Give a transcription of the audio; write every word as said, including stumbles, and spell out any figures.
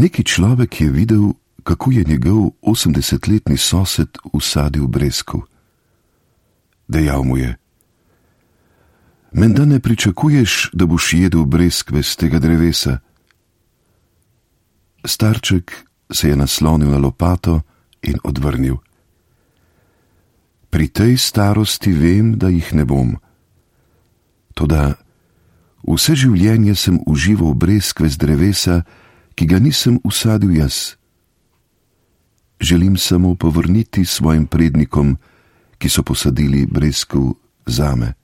Neki človek je videl, kako je njegov osemdesetletni sosed usadil breskev. Dejal mu je: menda ne pričakuješ, da boš jedel breskve z tega drevesa? Starček se je naslonil na lopato in odvrnil: pri tej starosti vem, da jih ne bom. Toda vse življenje sem užival breskve z drevesa, ki ga nisem usadil jaz. Želim samo povrniti svojim prednikom, ki so posadili breskev zame.